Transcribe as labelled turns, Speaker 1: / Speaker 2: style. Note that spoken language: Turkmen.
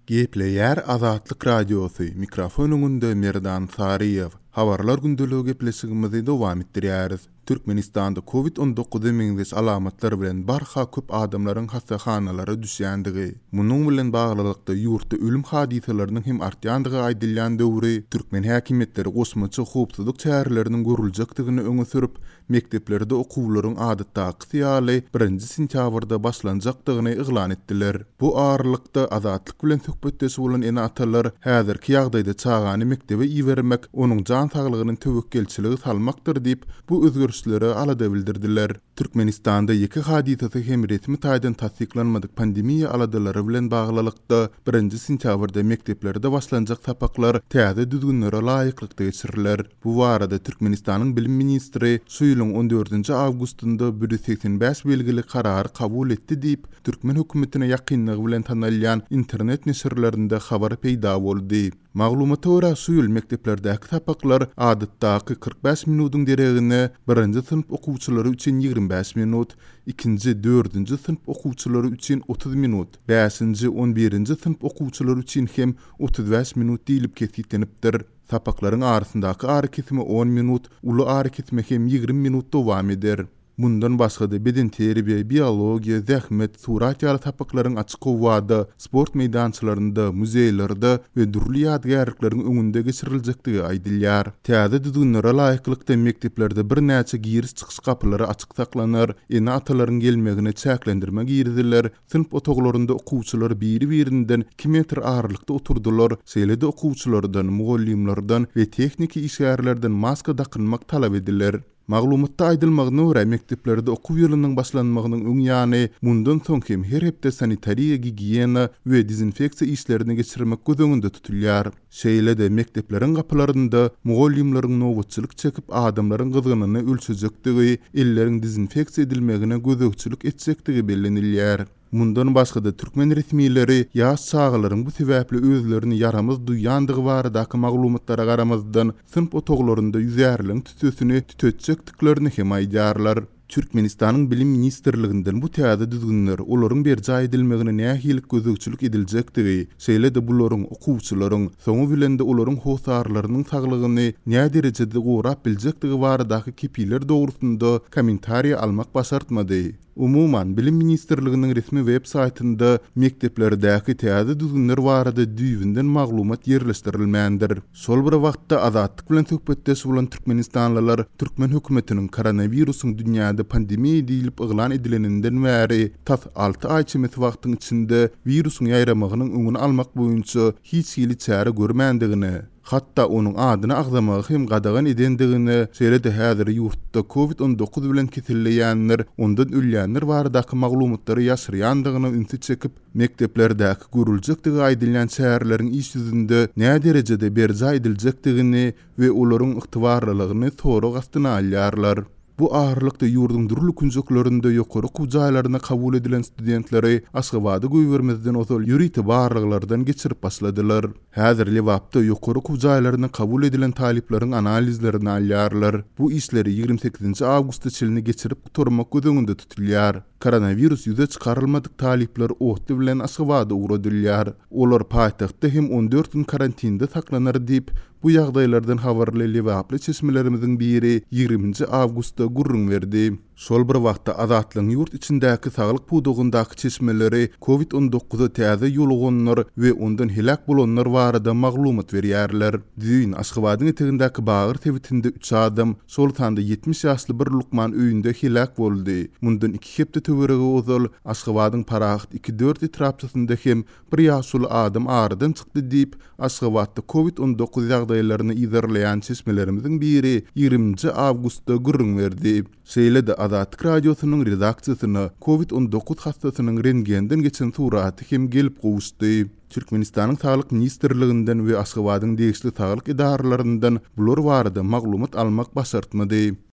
Speaker 1: Gepleýär Azatlyk Radiosy, mikrofon öňünde Merdan Saryýew. Habarlar gündeligi gepleşigimizi dowam etdirýäris. Türkmenistanda Covid 19 meňzeş alamatlar bilen barha köp adamlaryň hassahanalara düşýändigi, munuň bilen baglylykda ýurtda ölüm hadysalarynyň hem artýandygy aýdylýan döwri türkmen häkimiýetleri goşmaça howpsuzlyk çäreleriniň görüljekdigini öňe sürüp, mekdeplerde okuwlaryň adatdakysy ýaly birinji sentýabrda başlanjakdygyny yglan etdiler. Bu aralykda, Azatlyk bilen söhbetdeş bolan ene-atalar häzirki ýagdaýda çagany mekdebe ibermek onuň jan saglygyny töwekgelçilige salmakdyr diýip, bu özgerişlere alada bildirdiler. Türkmenistanda ýeke hadysasy hem resmi taýdan tassyklanmadyk pandemiýa aladalary bilen baglylykda, birinji sentýabrda mekdeplerde başlanjak sapaklar täze düzgünlere laýyklykda geçiriler. Bu barada Türkmenistanyň bilim ministri şu ýylyň on dördünji awgustynda 185 belgili karary kabul etdi diýip, türkmen hökümetine ýakynlygy bilen tanalýan internet neşirlerinde habar peýda boldy. Maglumata görä, şu ýyl mekdeplerdäki sapaklar adatdaky 45 minudyň deregine birinji synp okuwçylary üçin 25 minut, ikinji, dördünji synp okuwçylary üçin 30 minut, bäşinji, on birinji synp okuwçylary üçin hem 35 minut diýlip kesgitlenipdir. Sapaklaryň arasyndaky arakesme on minut, uly arakesme hem 20 minut dowam eder. Mundan başga-da, bedenterbiýe, biologiýa, zähmet, surat ýaly sapaklaryň açyk howada, sport meýdançalarynda, muzeýlerde we dürli ýadygärlikleriň öňünde geçiriljekdigi aýdylýar. Täze düzgünlere laýyklykda, mekdeplerde birnäçe giriş-çykyş gapylary açyk saklanar, ene-atalaryň gelmegine çäklendirme giriziler, synp otaglarynda okuwçylar biri-birinden iki metr aralykda oturdylar, şeýle-de okuwçylardan, mugallymlardan we tehniki işgärlerden maska dakynmak talap ediler. Maglumatda aýdylmagyna görä, mekdeplerde okuw ýylynyň başlanmagynyň öň ýany, mundan soň hem her hepde sanitariýa-gigiýena we dezinfeksiýa işlerini geçirmek göz öňünde tutulýar. Şeýle-de, mekdepleriň gapylarynda mugallymlaryň nobatçylyk çekip, adamlaryň gyzgynyny ölçejekdigi, elleriň dezinfeksiýa edilmegine gözegçilik etjekdigi bellenilýär. Mundan başga-da, türkmen resmileri ýaş çagalaryň bu sebäpli özlerini ýaramaz duýýandygy baradaky maglumatlara garamazdan, synp otaglarynda ýüzärligiň tüssesini tütetjekdiklerini hem aýdýarlar. Türkmenistanyň Bilim ministrliginden bu täze düzgünler, olaryň berjaý edilmegine nähili gözegçilik ediljekdigi, şeýle-de bularyň okuwçylaryň, soňy bilen-de olaryň hossarlarynyň saglygyny näderejede gorap biljekdigi baradaky kepiller dogrusynda kommentariý almak başartmady. Umuman, Bilim ministrliginiň resmi web saýtynda mekdeplerdäki täze düzgünler barada düýbünden maglumat ýerleşdirilmändir. Şol bir wagtda, Azatlyk bilen söhbetdeş bolan türkmenistanlylar türkmen hökümetiniň koronawirusyň dünýäde pandemiýa diýlip yglan edileninden bäri tas alty aý çemesi wagtyň içinde wirusyň ýaýramagynyň öňüni almak boýunça hiç hili çäre görmändigine, hatda onuň adyny agzamagy hem gadagan edendigine, şeýle-de häzir ýurtda Covid 19 bilen keselleýänler, ondan ölýänler baradaky maglumatlary ýaşyrýandygyna ünsi çekip, mekdeplerdäki görüljekdigi aýdylýan çäreleriň iş ýüzünde näderejede berjaý ediljekdigini we olaryň ygtybarlylygyny sorag astyna alýarlar. Bu aralykda ýurduň dürli künjeklerinde ýokary okuw jaýlaryna kabul edilen studentleri Aşgabada goýbermezden ozal ýörite barlaglardan geçirip başladylar. Häzir Lebapda ýokary okuw jaýlaryna kabul edilen talyplaryň analizlerini alýarlar. Bu işleri 28-nji awgusta çenli geçirip gutarmak göz öňünde tutulýar. Koronawirus ýüze çykarylmadyk talyplar otly bilen Aşgabada ugradylýar. Olar paýtagtda hem 14 gün karantinde saklanar diýip, Bu ýagdaýlardan habarly lebaply çeşmelerimiziň biri ýigriminji awgustda gürrüň berdi. Şol bir wagtda, Azatlygyň ýurt içindäki saglyk pudagyndaky çeşmeleri Covid 19 täze ýoluganlar we ondan heläk bolanlar barada maglumat berýärler. Düýn, Aşgabadyň etegindäki Bagyr sebitinde üç adam, şol sanda 70 ýaşly bir lukman öýünde heläk boldy. Mundan iki hepde töweregi ozal, Aşgabadyň Parahat iki dört etrapçasynda hem Bir ýaşuly adam aradan çykdy diýip, Aşgabatda Covid 19 ýagdaýlaryny yzarlaýan çeşmelerimiziň biri 20-nji awgustda gürrüň berdi. Şeýle-de Azatlyk Radiosynyň redaksiýasyna Covid 19 hassasynyň rentgenden geçen suraty hem gelip gowuşdy. Türkmenistanyň Saglyk ministrliginden we Aşgabadyň degişli saglyk edaralaryndan bular barada maglumat almak başartmady.